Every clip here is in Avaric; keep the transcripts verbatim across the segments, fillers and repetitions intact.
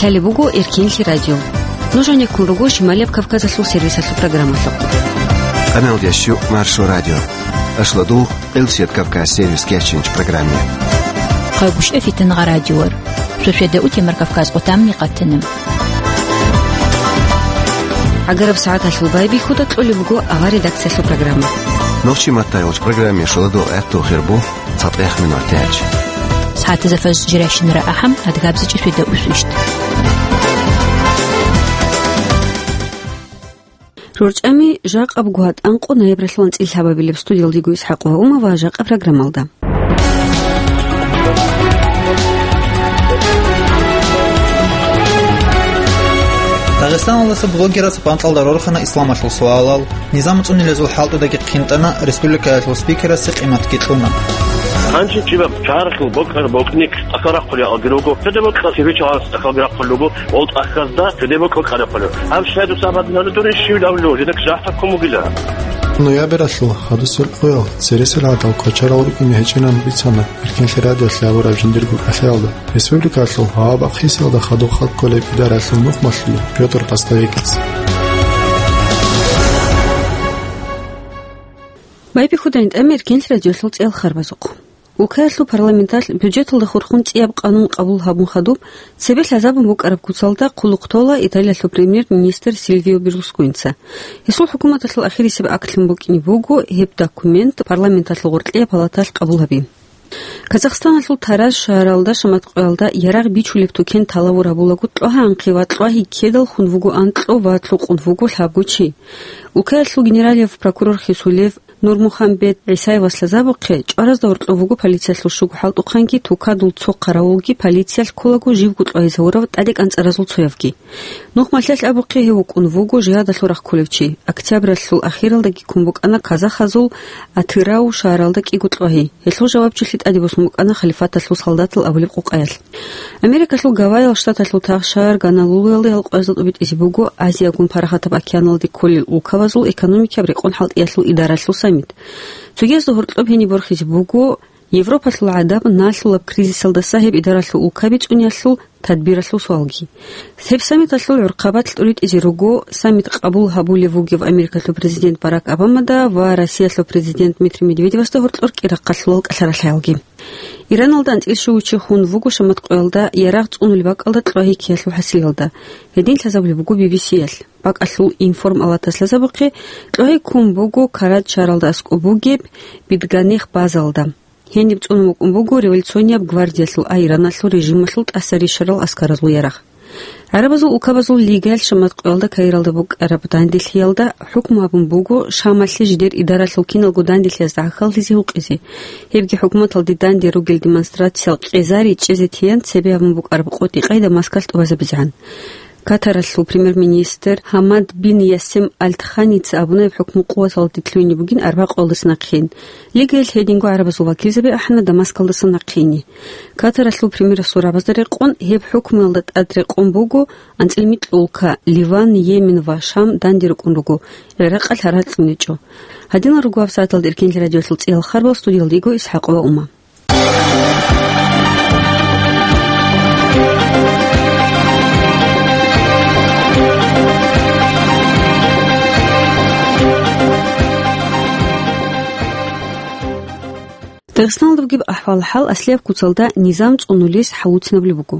Лъалеб буго Эркенлъи радио. Нуж гьанеккун руго Шималияб Кавказалъул сервисалъул программалъухъ. Къаналдящу Маршо радио. Ашладугъ Элсият Кавказ сервис кечинч программе. Къайгъушев Фитнагъа радиор. Шошеда утемар Кавказ къутамни къатанам. Агараб сагӀаталъул байбихьуда кьолеб буго авар редакциялъул программа. Нохчи матайолч программе шоладул гӀатту хирбу. ЦатӀех минутач. СагӀатазда фажр жирашинара ахӀам, адгабзичӀи шведа усвищ. РорчӀами жакъаб гугьа тӀанкъо ноябралъул анцӀил лъабабилеб. Студиялдего ИсхӀакъ ва Умава жакъа программалда. Дагъистаналдаса блогерас бантӀалда рорхана исламалъул суалал. Низам цӀунилезул хӀалтӀудаги хъинтӀана, республикаялъул спикерасе къиматги кьуна. Гьанже чӀибаб чарахъул бокьараб бокьник тӀахьал рахъулел алги руго, цоде бокьа цебе чагӀаз тӀахьалги рахъулел руго, ол тӀахьазда цоде бокьа кьарахъулел. Гьаб щай дуца абаднана дуре щивилавлу, жинак жахӀтаккун бугила. Ноябралъул хадусел къоял цересел гӀадал квачарал рукӀине гьечӀинан бицана Эркенлъи радиолъи абураб жиндирго кӀалъаялда. Республикалъул гьава бахъисиялда хадуб халкъ кколеб идаралъул нухмалъула Пётр Постовекица. Байбихьудайин тӀамер Кенлъ радиолъул цӀел харбазухъ. Улкаялъул парламенталъ бюджеталда хурхун цӀияб къанун къабул гьабун хадуб, цебе лъазабун букӀараб куцалда хъулухъ тола Италиялъул премьер-министр Сильвио Берлусконица. Гьесул хӀукуматалъул ахирисеб актлъун букӀине буго гьеб документ парламенталъул гъоркьияб палаталъ къабул гьаби. Казахстаналъул Тараз шагьаралда шаматкъоялда ярагъ бичулеб тукен талавур гьабулаго кьвагьанхъе ва кьвагьи ккедал хун вуго анкьго ва лъукъун вуго лъабго чи. Улкаялъул генералияб прокурор хисулев Нурмухамбет ГӀисаевас лъазабухъе, чӀваразда гьоркьов вуго полициялъул щуго хӀалтӀухъанги тукадул цо хъаравулги полициялъ кколаго живго кьвагьизавурав тӀаде кӀанцӀаразул цоявги. Нухмалъалъ абухъе гьев вукӀун вуго жигьадалъул рахъ кколев чи. Октябралъул ахиралдаги ккун букӀана казахазул Атырау шагьаралда кӀиго кьвагьи. Гьелъул жавабчилъи тӀаде босун букӀана халифаталъул солдатал абулеб къукъаялъ. Америкалъул Гавайял Штаталъул тагъ шагьар Гонолулуялда гьалкъоязда тӀубитӀизе буго Азиягун Парахатаб океаналде кколел улкабазул экономикияб рекъон хӀалтӀиялъул идаралъул саммит. Цогиязда гьоркьоб гьениб борхизе буго Европалъул гӀадаб налъулаб кризисалдаса гьеб идаралъул улкаби цӀуниялъул тадбиралъул суалги. Гьеб саммиталъул гӀурхъабалъ тӀуритӀизе руго саммит къабул гьабулев вугев Америкалъул президент Барак Обамада ва Россиялъул президент Дмитрий Медведевасда гьоркьор кӀирахъалъулал кӀалъаралъаялги. Ираналда анцӀил щугучи хун вуго шаматкъоялда ярагъ цӀунулеб бакӀалда кьвагьи ккеялъул хӀасилалда. Гьедин лъазабулеб буго Би Би Си-ялъ. БакӀалъул информалатас лъазабухъе, кьвагьи ккун буго Карад шагьаралда аскӀоб бугеб Бидганех базалда. Гьениб цӀунун вукӀун буго революционияб гвардиялъул, а Ираналъул режималъул тӀаса рищарал аскаразул ярагъ. ГӀарабазул улкабазул лигаялъ шаматкъоялда Каиралда букӀараб данделъиялда хӀукму гьабун буго Шамалъе жидер идаралъул киналго данделъиязда гӀахьаллъизе гьукъизе. Гьебги хӀукуматалде данде ругел демонстрациял къезари чӀезе тиян цебе гьабун букӀараб къотӀи-къай Дамаскалъ тӀубазабизегӀан. Катаралъул премьер-министр Гьамад бин Ясем Аль Тханица абуна гьеб хӀукму къуваталде лъугьине бугин арбакъоялдаса нахъеян. Лигаялъ гьединго гӀарабазул вакилзаби ахӀана Дамаскалдаса нахъеяне. Катаралъул премьерасул рабазда рекъон гьеб хӀукмуялда тӀад рекъон буго, анцӀила микьулка Ливан, Йемен ва Шам данде рукӀун руго, ГӀиракъалъ гьаракь гьечӀо. Гьадинал руго гьабсагӀаталда Эркенлъи радиолъул цӀиял харбал, студиялда йиго ИсхӀакъ ва Ума. Дагъистаналда бугеб ахӀвал-хӀал аслияб куцалда низам цӀунулес хӀалуцинабулеб буго.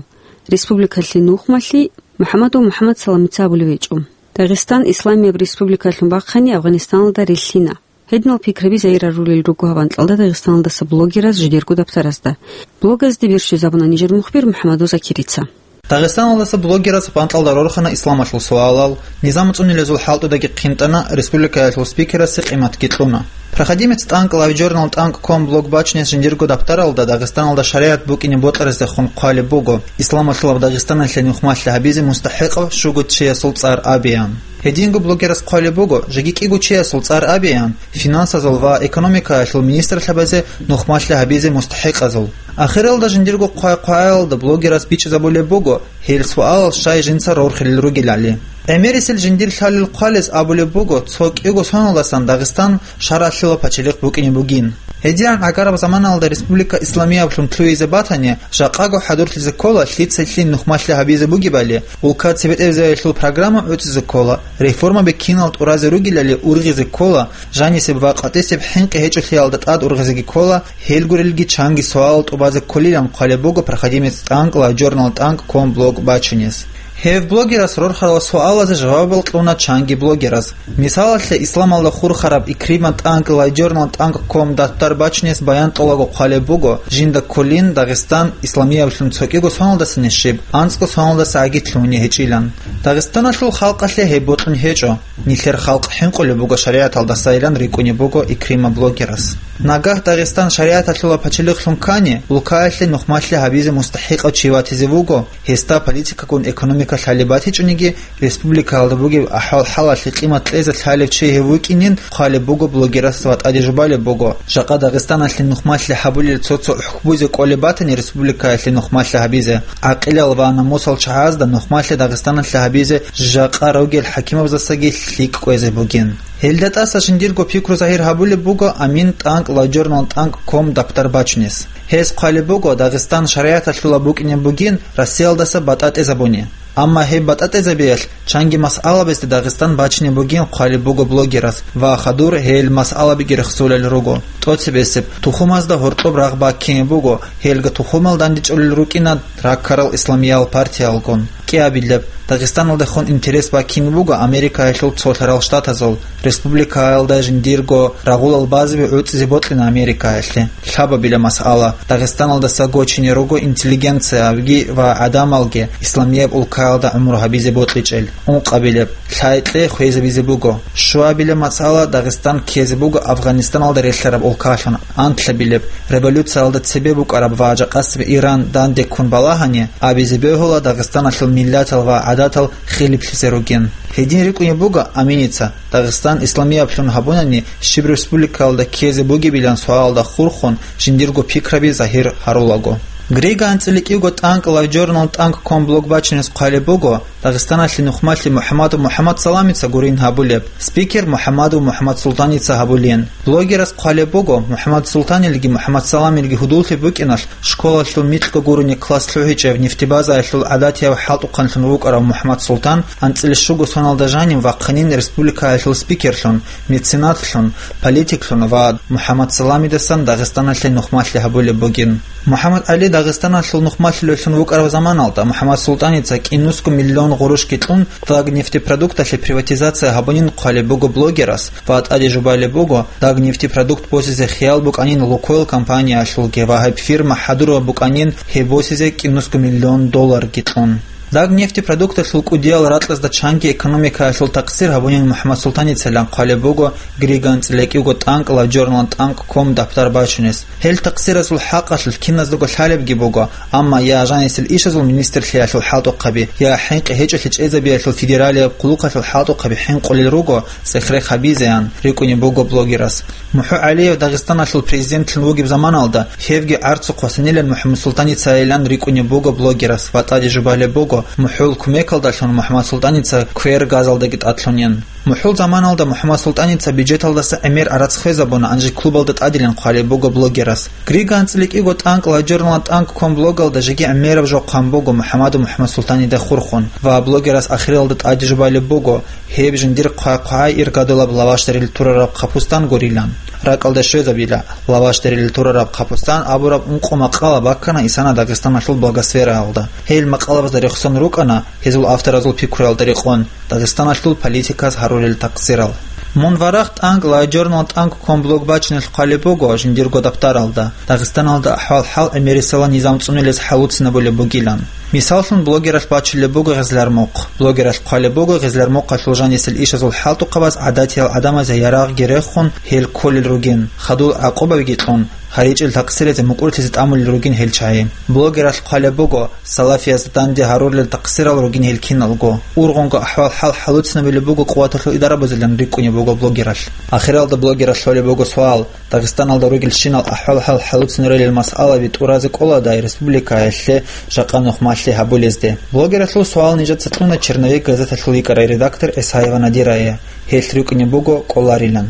Республикалъе нухмалъи МухӀаммадов МухӀаммад Саламица абулев гьечӀо. Дагъистан Исламияб республикалъун бахъани Афганистаналда релълъина. Гьединал пикраби загьирарулел руго гьаб анкьалда Дагъистаналдаса блогераз жидерго дабсаразда. Блогазде бержизабуна нижер мухбир МухӀаммадов Закирица. Дагъистаналдаса блогераз бантӀалда рорхана исламалъул суалал, низам цӀунилезул хӀалтӀудаги хъинтӀана, республикаялъул спикерасе къиматги кьуна. Проходимец тӀанкӀ LiveJournal тӀанкӀ ком блог бачунес жиндирго дабтаралда Дагъистаналда шаригӀат букӀине бокьараздехун хъвалеб буго, исламалъулаб Дагъистаналъе нухмалъи гьабизе мустахӀикъав щуго чиясул цӀар абеян. Гьединго блогерас хъвалеб буго, жеги кӀиго чиясул цӀар абеян, финансазул ва экономикаялъул министрлъабазе нухмалъи гьабизе мустахӀикъазул. Ахиралда жиндирго хъвай-хъваялда блогерас бичӀчӀизабулеб буго, гьел суалал щай жинца рорхилел ругелали. ГӀемерисел жиндир лъалел хъвалес абулеб буго, цо кӀиго соналдасан Дагъистан шаргӀалъула пачалихъ букӀине бугин. Гьединан гӀагараб заманалда Республика Исламияблъун лъугьизе батани, жакъаго хӀадурлъизе ккола лъица-лъим нухмалъи гьабизе бугебали, улка цебетӀезаялъул программа гӀуцӀизе ккола, реформаби кинал тӀуразе ругелали ургъизе ккола, жанисеб ва къватӀисеб хӀинкъи гьечӀолъиялда тӀад ургъизеги ккола, гьел гурелги чанги суалал тӀубазе кколилан хъвалеб буго проходимец тӀанкӀ лайджорнал тӀанкӀ ком блог бачунес. Гьев блогерас рорхарал суалазе жавабал кьуна чанги блогерас. Мисалалъе, исламалда хурхараб Икрима тӀанкӀ лайджорнал тӀанкӀ ком даттар бачунес баян тӀолаго хъвалеб буго, жинда кколин Дагъистан исламияблъун цо кӀиго соналдасани щиб, анцӀго соналдаса гӀагитлъугьуни гьечӀилан. Дагъистаналъул халкъалъе гьеб бокьун гьечӀо. Нилъер халкъ хӀинкъулеб буго шаригӀаталдасайилан рикӀкӀунеб буго Икрима блогерас. Нагагь Дагъистан шаригӀаталъула пачалихълъун ккани, улкаялъе нухмалъи гьабизе мустахӀикъав чи ватизе вуго, гьесда политикагун экономика лъалеб батичӀониги, республикаялда бугеб ахӀвал-хӀалалъе къимат кьезе лъалев чи гьев вукӀинин хъвалеб буго блогерас ва тӀаде жубалеб буго, жакъа Дагъистаналъе нухмалъи гьабулел цо-цо хӀукмузе кӀолеб батани республикаялъе нухмалъи гьабизе, гӀакъилал ва намусал чагӀазда нухмалъи Дагъистаналъе гьабизе жакъа ругел хӀакимабаздасаги лъикӀ кӀвезе бугин. Гьелда тӀаса жиндирго пикру загьир гьабулеб буго Амин тӀанкӀ лайджорнал тӀанкӀ ком дапдар бачунес. Гьес хъвалеб буго, Дагъистан шаригӀаталъула букӀине бугин Россиялдаса батӀа тӀезабуни. Амма гьеб батӀа тӀезабиялъ чанги масъалабазде Дагъистан бачине бугин хъвалеб буго блогерас ва хадур гьел масъалабиги рехсолел руго. ТӀоцебесеб, тухумазда гьоркьоб рагъ баккине буго, гьелга тухумал дандечӀолел рукӀина раккарал исламиял партиялгун. КӀиабилеб, Дагъистаналдехун интерес баккине буго Америкаялъул цолъарал штатазул, республикаялда жиндирго рагъулал базаби гӀуцӀизе бокьина Америкаялъе. Лъабабила масъала, Дагъистаналдаса гочине руго интеллигенциябги ва гӀадамалги исламияб улкаялда гӀумру гьабизе бокьичӀел. Ункъабилеб, лъай-кьей хвезабизе буго. Щуабила масъала, Дагъистан ккезе буго Афганистаналда релълъараб улкалъун. Анлъабилеб, революциялда цебе букӀараб ва жакъасеб Иран данде ккун балагьани, абизе бегьула Дагъистаналъул миллатал ва гӀадатал хилиплъизе ругин. Гьедин рикӀкӀунеб буго Аминица, Дагъистан исламияблъун гьабунани щиб республикаялда ккезе бугебилан суалалда хурхун жиндирго пикраби загьир гьарулаго. Грига анцӀила кӀиго тӀанкӀ лайджорнал тӀанкӀ ком блог бачунес хъвалеб буго, Дагъистаналъе нухмалъи МухӀамадов МухӀамадсаламица гурин гьабулеб, спикер МухӀамадов МухӀамадсултаница гьабулин. Блогерас хъвалеб буго, МухӀамадсултанилги МухӀамадсаламилги гьудуллъи букӀиналъ, школалъул микьго гурони класс лъугьичӀеб нефтебазаялъул гӀадатияб хӀалтӀухъанлъун вукӀарав МухӀамадсултан анцӀила щуго соналда жанив вахъинин республикаялъул спикерлъун, меценатлъун, политиклъун ва МухӀамадсаламидасан Дагъистаналъе нухмалъи гьабулеб бугин. МухӀаммад ГӀали Дагъистаналъул нухмалъулевлъун вукӀараб заманалда МухӀаммадсултаница кӀинусго миллион гъурущги кьун, Дагнефтепродукталъе приватизация гьабунин хъвалеб буго блогерас ва тӀаде жубалеб буго, Дагнефтепродукт босизе хиял букӀанин Лукойл компаниялъулги ва гьеб фирма хӀадураб букӀанин гьеб босизе кӀинусго миллион долларги кьун. Дагнефтепродукталъул кӀудиял ракьазда чанги экономикаялъул такъсир гьабунин МухӀаммадсултаница хъвалеб буго Грига анцӀила кӀиго тӀанкӀ лайджорнал тӀанкӀ ком дапдар бачунес. Гьел такъсиразул хӀакъалъулъ киназдаго лъалебги буго, амма я жанисел ишазул министрлъиялъул хӀалтӀухъаби, я хӀинкъи гьечӀолъи чӀезабиялъул федералияб хъулухъалъул хӀалтӀухъаби хӀинкъулел руго цӀех-рех гьабизеян, рикӀкӀунеб буго блогерас. МухӀу ГӀалиев Дагъистаналъул президентлъун вугеб заманалда, гьевги гӀарцухъ васанилан МухӀаммадсултаницайилан рикӀкӀунеб буго блогерас ва тӀаде жубалеб буго, МухӀул кумекалдалъун МухӀаммадсултаница квер газалдаги тӀадлъунин. МухӀул заманалда МухӀаммадсултаница бюджеталдаса гӀемер гӀарац хвезабуна, гьанже клубалда тӀадилан хъвалеб буго блогерас. Грига анцӀила кӀиго тӀанкӀ лайджорнал тӀанкӀ ком блогалда жеги гӀемераб жо хъван буго МухӀаммадов МухӀаммадсултанида хурхун ва блогерас ахиралда тӀаде жубалеб буго, гьеб жиндир хъвай-хъвай иргадулаб лавашдарил турараб хъапустан гурилан. РакӀалде щвезабила, лавашдарил турараб хъапустан абураб ункъо макъала баккана исана Дагъистаналъул блогосфераялда. Гьел макъалабазда рехсон рукӀана гьезул авторазул пикруялда рекъон, Дагъистаналъул политиказ гьарулел такъсирал. Мун варагь тӀанкӀ лайджорнал тӀанкӀ ком блог бачунелъ хъвалеб буго жиндирго дапдаралда, Дагъистаналда ахӀвал-хӀал гӀемерисела низам цӀунулез хӀалуцинабулеб бугилан. Мисаллъун, блогералъ бачулеб буго гъезлармухъ. Блогералъ хъвалеб буго гъезлармухъалъул жанисел ишазул хӀалтӀухъабаз гӀадатиял гӀадамазе ярагъги рехун, гьел кколел ругин, хадур гӀакъубабиги кьун, гьаричӀел такъсиризе мукӀурлъизе тӀамулел ругин гьел чагӀи. Блогералъ хъвалеб буго, салафиязда данде гьарулел такъсирал ругин гьел киналго. Ургъунго ахӀвал-хӀал хӀалуцинабулеб буго къуваталъул идарабазилан рикӀкӀунеб буго блогералъ. Ахиралда блогералъ гьолеб буго суал, Дагъистаналда ругелщинал ахӀвал-хӀал хӀалуцинарелил масъалаби тӀуразе кӀоладай республикаялъе жакъа нухмалъи гьабулезде. Блогералъул суал нижеца кьуна «Черновик» газеталъул йикӀарай редактор Эсаева Надирае. Гьелъ рикӀкӀунеб буго кӀоларилан.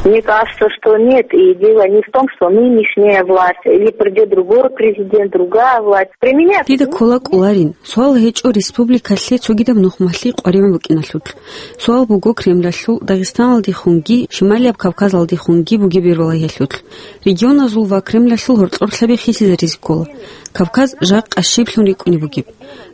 Мне кажется, что нет, и дело не в том, что нынешняя власть, или придёт другой президент, другая власть. Применяют Дида ккола кӀоларин. Суал гьечӀо республикалъе цогидаб нухмалъи къваригӀун букӀиналъулъ. Суал буго Кремлалъул Дагъистаналдехунги Шималияб Кавказалдехунги бугеб бергьулагьиялъулъ. Регионазул ва Кремлалъул гьоркьорлъаби хисизаризе ккола. Кавказ жакъа щиблъун рикӀкӀунеб бугеб.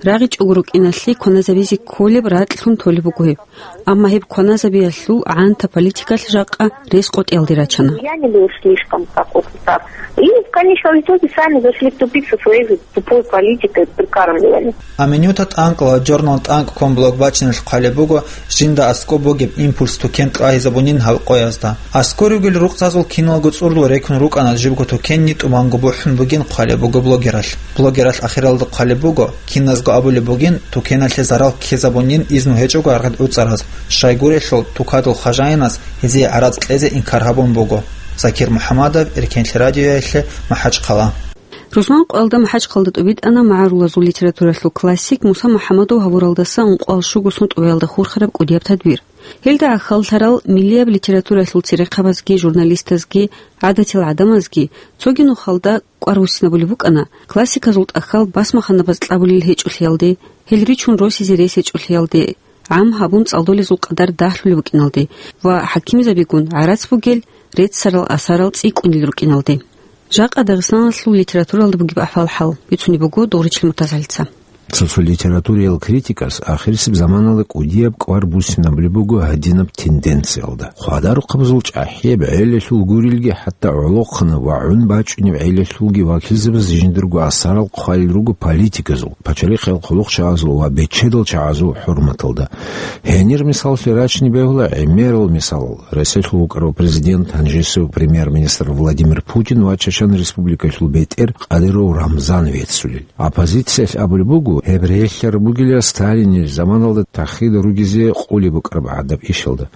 РагъичӀого рукӀиналъе кваназабизе кколеб ракьлъун толеб буго гьеб. Амма гьеб кваназабиялъул гӀанта политикалъ жакъа рес къотӀиялде рачана. Я не был слишком такой прав. И в конечном итоге сами зашли в тупик со своей же тупой политикой прикармливания. Аминюта ТӀанкъ ва журнал ТӀанкӀ ком блог бачиналъ хъвалеб буго, жинда аскӀоб бугеб импульс тукен тӀагьизабунин гьав къоязда. АскӀор ругел рукъзазул киналго цӀурлу рекун рукӀана жибго тукенни тӀубанго бухӀун бугин хъвалеб буго блогералъ. Блогералъ ахиралда хъвалеб буго, киназго абулеб бугин, тукеналъе зарал ккезабунин изну гьечӀого аргъад гӀуцӀараз, щайгурелъул тукадул хажаинас гьезие гӀарац кьезе инкар гьабун буго. Закир МухӀамадов, Эркенлъи радиоялъе, МахӀачхъала. Рузманкъоялда МахӀачхъалда тӀубитӀана магӀарулазул литературалъул классик Муса МухӀамадов гьавуралдаса ункъоялда щуго сон тӀубаялда хурхараб кӀудияб тадбир. Гьелда гӀахьаллъарал миллияб литературалъул церехъабазги, журналистазги, гӀадатил гӀадамазги цоги нухалда кӀвар буссинабулеб букӀана, классиказул тӀахьал басмаханабаз кьабулел гьечӀолъиялде, гьел ричун росизе рес гьечӀолъиялде, гӀам гьабун цӀалдолезул къадар дагьлъулеб букӀиналде ва хӀакимзабигун гӀарац бугел реццарал асарал цӀикӀкӀунел рукӀиналде. Жакъа Дагъистаналъул литературалда бугеб ахӀвал-хӀал бицунеб буго Догъричил МуртазгӀалица. Цо-цо литературиял критикас ахирисеб заманалда кӀудияб кӀвар буссинабулеб буго гьадинаб тенденциялда. Хъвадарухъабазул чӀахӀияб гӀелалъул гурелги, хӀатта гӀолохъанаб ва гӀун бачӀунеб гӀелалъулги вакилзабаз жиндирго асарал хъвалел руго политиказул, пачалихъал хъулухъчагӀазул ва бечедал чагӀазул хӀурматалда. Гьенир мисаллъи рачине бегьула гӀемерал мисалал: Росиялъул вукӀарав президент, гьанжесев премьер-министр Владимир Путин ва Чечен Республикалъул бетӀер Кадыров Рамзан веццулел. Оппозициялъ абулеб буго, гьеб релълъараб бугила Сталинил заманалда тахида ругезе къулеб букӀараб гӀадаб ишалда.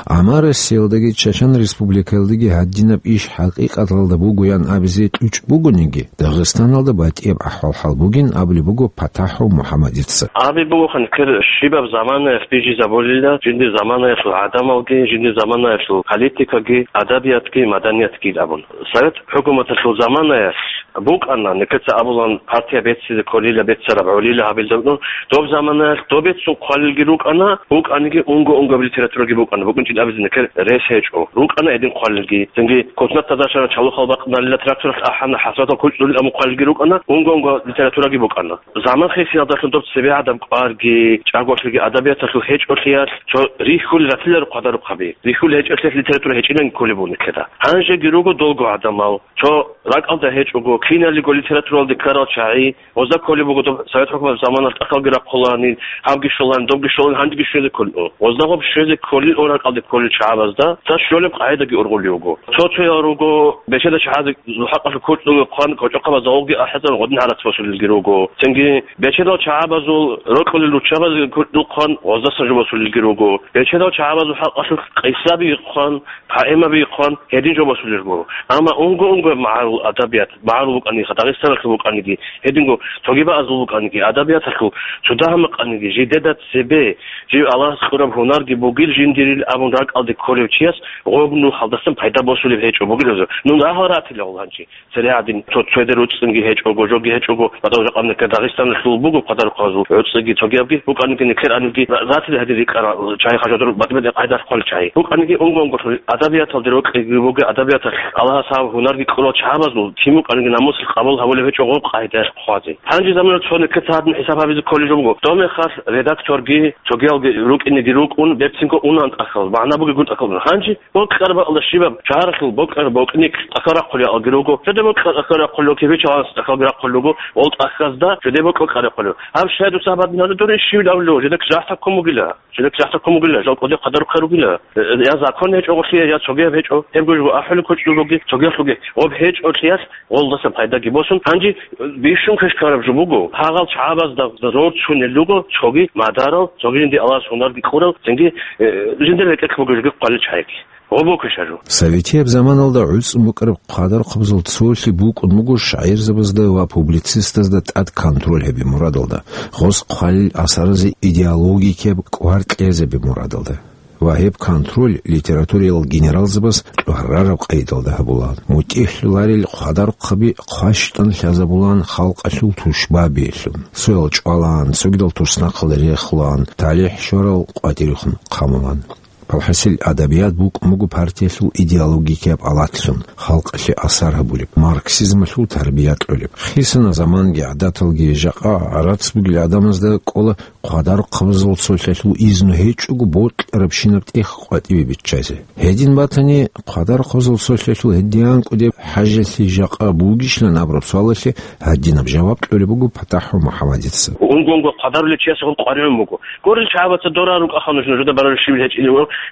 Амма Россиялдаги Чечен Республикаялдаги гьадинаб иш хӀакъикъаталда бугоян абизе кьучӀ бугониги, Дагъистаналда батӀияб ахӀвал-хӀал бугин абулеб буго ПатахӀов МухӀаммадица. Абе бугоха, нилъер щибаб заманаялъ бижизабулила жиндир заманаялъул гӀадамалги, жиндир заманаялъул политикаги, адабиятги, маданиятги абун. Совет хӀукуматалъул заманаялъ букӀана, нилъеца абулан, партия беццизе кколила, беццараб гӀолила гьабилда букӀун. Доб заманаялъ доб беццун хъвалилги рукӀана, букӀаниги унго-унгояб литератураги букӀана, букӀинчӀин абизе нилъер рес гьечӀо. РукӀана гьедин хъвалилги. Цинги космонавтазда щвана, чалухъал бакънарила тракторалъ ахӀана, хӀасратал кучӀдулил абун хъвалилги рукӀана, унго-унгояб литератураги букӀана. Заман хисиялдалъун доб цебегӀадаб кӀварги, чӀаголъиги адабияталъул гьечӀолъиялъ цо рихьулел ратиларо хъвадарухъаби. Рихьулел гьечӀолъиялъ литература гьечӀилан кколеб буго нилъеда. Гьанжеги руго долго гӀадамал, цо ракӀалда гьечӀого, киналго литературалде ккарал чагӀи, гъозда кколеб буго доб Совет хӀукуматалъул заманалъ тӀахьалги рахъуланин, гьабги щоланин, добги щоланин, гьандиги щвезе кколин. Гъоздагъоб щвезе кколил, ракӀалде кколел чагӀазда цо щолеб къагӀидаги ургъулев вуго. Цо-цоял руго, бечедал чагӀазул хӀакъалъулъ кучӀдулги хъван, кочӀохъабазда гъовги ахӀизабун гъодин гӀарац босулелги руго. Цинги бечедал чагӀазул рокьулел руччабазги кучӀдулги хъван, гъоздасан жо босулелги руго. Бечедал чагӀазул хӀакъалъулъ къисаби хъван, поэмаби хъван, гьедин жо босулел руго. Амма унго-унгояб магӀарул адабият, магӀарул букӀаниха, Дагъистаналъул букӀаниги, гьединго цогидабазул букӀаниги, адабияталъул цо дагьаб букӀаниги, жидеда цебе жив Аллагьас кьураб гьунарги бугил жиндирил абун ракӀалде кколев чияс гъоб нухалдасан пайда босулеб гьечӀо бугилазул. Нун рагьал ратила гъол гьанчи. Цере гьадин, цо цояде руцӀцӀунги гьечӀого, жоги гьечӀого, батӀал жакъа нилъер Дагъистаналъул буго хъвадарухъазул гӀуцӀиги цогиябги, букӀаниги нилъер анилги ра-, ратили гьадин рикӀкӀарал чагӀи, хажадур батӀи-батӀи къайдалъ хъвалел чагӀи. БукӀаниги унго-унгоялъул адабияталде рокьиги бугел, адабияталъ Аллагьас гьаб гьунарги кьурал чагӀазул кин букӀаниги Мусул къабул гьабулеб гьечӀо гъоб къайда хъвазе. Гьанже замана цо нилъеца гьадин хӀисаб гьабизе кколеб жо буго. Дов мехалъ редакторги, цогиялги рукӀинеги рукӀун, берцинго унан тӀахьал, магӀна бугегун тӀахьал. Гьанже бокьараб бакӀалда щибаб шагьаралъул бокьараб бокьник тӀахьал рахъулел алги руго, жиде бокьараб тӀахьал рахъулел, кибичагъанас тӀахьалги рахъулел руго, гъол тӀахьазда жиде бокьараб кьарахъулел. Гьаб щай дуца гьаб гьадин гьабулеб дурин щивил абулев, жидекь жагьтаб ккун бугила. Жидекь жагьтаб ккун бугила, жал кӀудеб хъадар рукӀараб ругила. Э, я закон гьечӀо гъолъие, я цогияб гьечӀо, гьебго жо ахӀулеб кочӀлъугоги, цогиялъуги. Гъоб гьечӀолъиялъ гъолдасан пайдаги босун. Гьанже, э, бищун хъишкараб жо буго, гьагъал чагӀазда зор чунел руго, цоги мадарал, цоги жинди Аллагьас гьунарги кьурал, цинги, э, жиндир рекӀелъ бугеб жоги хъвалел чагӀиги. Гъоб букӀищ гьаб жо. Советияб заманалда гӀуцӀун букӀараб хъадар хъубзул цолъи букӀун буго шагӀирзабазда ва публицистазда тӀад контроль гьабе мурадалда, гъос хъвалел асаразе идеологикаб кӀвар кьезе гьабе мурадалда. Ва гьеб контроль литературиял генералзабаз кьварараб къайдалда гьабулаан. МутӀигӀлъуларел хъвадарухъаби хъващтӀан лъазабулаан халкъалъул тушбабиялъун. Цоял чӀвалаан, цогидал туснахъалда рехулаан, талихӀ щварал къватӀирехун хъамулаан. Палхасил адабият букӀун буго партиялъул идеологикияб алатлъун, халкъалъе асар гьабулеб, марксизмалъул тарбия кьолеб. Хисана заманги гӀадаталги, жакъа гӀарац бугел гӀадамазда кӀола хъвадар хъубзул цолъалъул изну гьечӀого бокьарабщинаб тӀех къватӀибе биччазе. Гьедин батани, хъвадар хъубзул цолъалъул гьедин кӀудеб хӀажалъи жакъа бугищилан абураб суалалъе гьадинаб жаваб кьолеб буго ПатахӀ МухӀаммадица. Унго-унго хъвадарулев чиясе гъол къваригӀун буго. Гурел чагӀазда дора рукӀаха нуж, нужеда бараб щибил гьечӀин.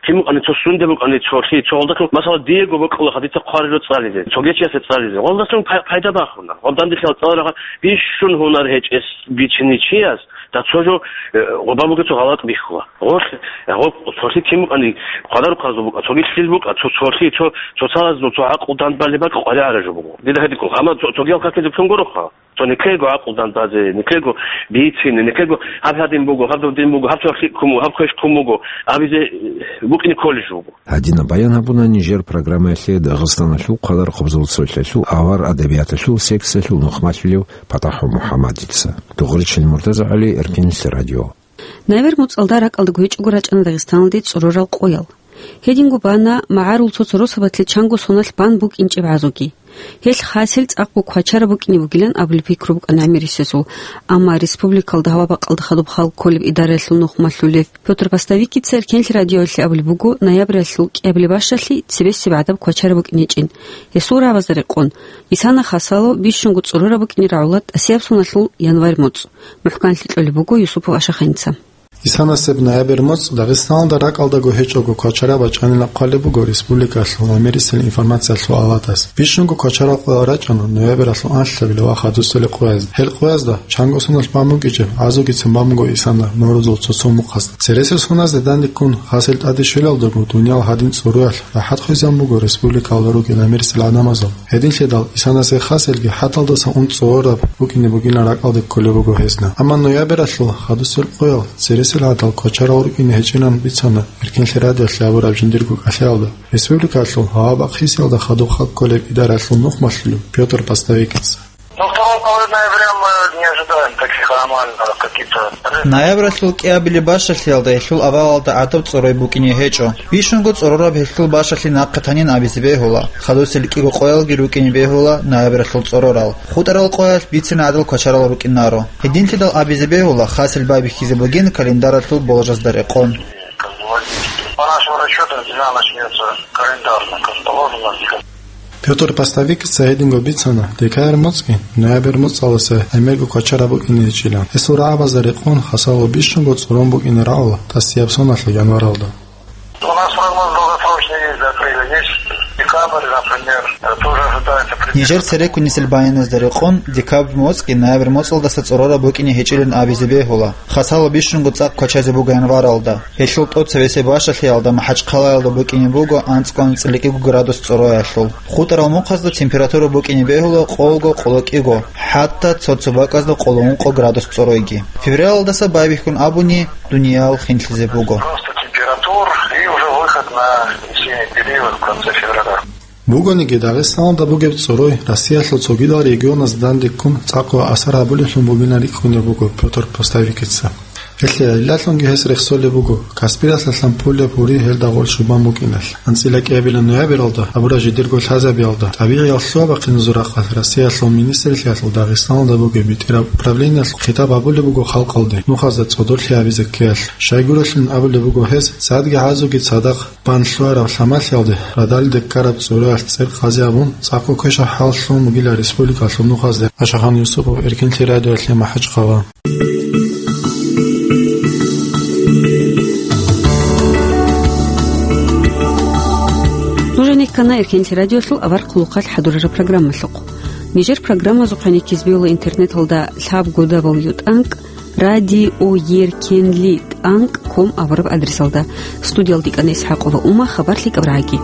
Ким букӀани, цо сунде букӀани, цолъи, цо гъолдалъун, масала, диего бокьулаха дица хъварило цӀализе, цоги чиясе цӀализе. Гъолдалъун пай-, пайда бахуна. Гъоб данделъал цӀаларагъа бищун гьунар гьечӀес бичини чияс, да цо жо, э, гъоба буго цо гъалатӀ бихьула. Гъолъ, гъоб цолъи ким букӀани, хъвадарухъазул букӀа, цоги лъил букӀа, цо цолъи, цо, цо цалазул цо гӀакълу дандбалеб бакӀ къваригӀараб жо буго. Дида гьедин ккола, амма цо-, цогиял какизе ккун гуроха. Цо никего гӀакълу дандбазе, никего бицине, никего гьаб гьадин буго, гьаб додин буго, гьаб цо лъикӀ ккун буго, гьаб квеш ккун буго абизе, э, букӀине кколеб жо буго. Гьадинаб баян гьабуна нижер программаялъе Дагъистаналъул хъвадар хъубзул цолъалъул авар адабияталъул секциялъул нухмалъулев ПатахӀ МухӀаммадица. Дугъричил МуртазагӀали, Эркенлъи радио. Ноябрь моцӀалда ракӀалда гьечӀого рачӀана Дагъистаналде цӀорорал къоял. Гьединго бана магӀарул цо-цо росабалъе чанго соналъ бан букӀинчӀеб гӀазуги. Гьелъ хасел цӀакъго квачараб букӀине бугилан абулеб пикру букӀана гӀемерисезул. Амма республикалда гьава бакӀалда хадуб хал кколеб идараялъул нухмалъулев Пётр Постовикица Эркенлъи радиоялъе абулеб буго, ноябралъул кӀиабилеб бащалъи цебесеб гӀадаб квачараб букӀине гьечӀин. Гьесул рагӀабазда рекъон, Исана Хасало бищунго цӀорораб букӀине рагӀула тӀасияб соналъул январь моцӀ. МухӀканлъи кьолеб буго Юсупов Ашаханица. Исанасеб ноябрь моцӀ Дагъистаналда ракӀалдаго гьечӀого квачараб бачӀанилан хъвалеб буго республикалъул гӀемерисел информациялъул авалдас. Бищунго квачарал къоял рачӀана ноябралъул анлъабилеб ва хадусел къоязда. Гьел къоязда чанго соналъ бан букӀинчӀеб гӀазугицин бан буго Исана Нурузул цо-цо мухъазда. Цересел соназде данде ккун, хасел тӀаде щвелалдаго дуниял гьадин цӀоруялъ рахӀат хвезабун буго республикалда ругел гӀемерисел гӀадамазул. Гьединлъидал Исанасе хаселги хӀаталдаса ун цӀорораб букӀине бугилан ракӀалде кколеб буго гьезда. Амма ноябралъул хадусел къоял цересел гӀадал квачарал рукӀине гьечӀилан бицана Эркенлъи радиоялъе абураб жиндирго кӀалъаялда республикалъул гьава бахъисиялда хадуб хал кколеб идараялъул нухмалъулев Пётр Постовикица. Ну, второго половины ноября мы не ожидаем таких аномальных каких-то. Ноябралъул кӀиабилеб бащалъиялда гьелъул авалалда гӀадаб цӀорой букӀине гьечӀо. Бищунго цӀорораб гьелъул бащалъи нахъе танин абизе бегьула. Хадусел кӀиго къоялги рукӀине бегьула ноябралъул цӀорорал. ХутӀарал къоялъ бицина гӀадал квачарал рукӀинаро. Гьединлъидал абизе бегьула, хасел байбихьизе бугин календаралъул боложазда рекъон. По нашему расчету, зима начнется календарно, как положено. Пётр Постовикица гьединго бицана, декабрь моцӀги ноябрь моцӀалдаса гӀемерго квачараб букӀине гьечӀилан. Гьесул рагӀабазда рекъон, хасало бищунго цӀорон букӀине рагӀула тӀасияб соналъул январалда. У нас прогноз долгосрочный есть, до апреля есть. Декабрь, например, э, тоже ожидается примерно. Нижер цереккунисел баяназда рекъон, декабрь моцӀги ноябрь моцӀалдаса цӀорораб букӀине гьечӀилан абизе бегьула. Хасало бищунго цӀакъ квачазе буго январалда. Гьелъул тӀоцебесеб бащалъиялда МахӀачхъалаялда букӀине буго анцӀго-анцӀила кӀиго градус цӀороялъул. ХутӀарал мухъазда температура букӀине бегьула къолго-къоло кӀиго, хӀатта цо-цо бакӀазда къоло ункъо градус цӀоройги. Февралалдаса байбихьун абуни, дуниял хинлъизе буго. Рост температур и уже выход на весенний период в конце февраля. Бугониги, Дагъистаналда бугеб цӀорой Россиялъул цогидал регионазда данде ккун цӀакъго асар гьабулеблъун бугилан рикӀкӀунеб буго Пётр Постовикица. Гьелъие гӀиллалъунги гьес рехсолеб буго Каспиралъалъан пулеб гьури гьелда гъол щубан букӀиналъ. АнцӀила кӀиабилеб ноябралда гьабураб жидерго лъазабиялда, тӀабигӀияб лъугьа-бахъиназул рахъалъ Россиялъул министрлъиялъул Дагъистаналда бугеб бетӀераб управлениялъ хитаб гьабулеб буго халкъалде нухазда цӀодорлъи гьабизе ккеялъ. Щайгурелъул абулеб буго гьез, цадги гӀазуги цадахъ бан лъугьараб лъамалъиялде радалиде ккараб цӀураялъ цӀер къази гьабун, цӀакъго квешаб хӀаллъун бугила республикалъул нухазде. Ашахан Юсупов, Эркинлъи радиоялъе МахӀачхъала. Нужеца ккана Эркинлъи радиоялъул авар хъулухъалъ хӀадурараб программалъухъ. Нижер программазухъе ккезабейила интернеталда лъабго дабл ю тӀанкӀ радиоеркенлъи тӀанкӀ ком абураб адресалда. Студиялда ккана ИсхӀакъова Ума, хабар лъикӀаб рагӀаги.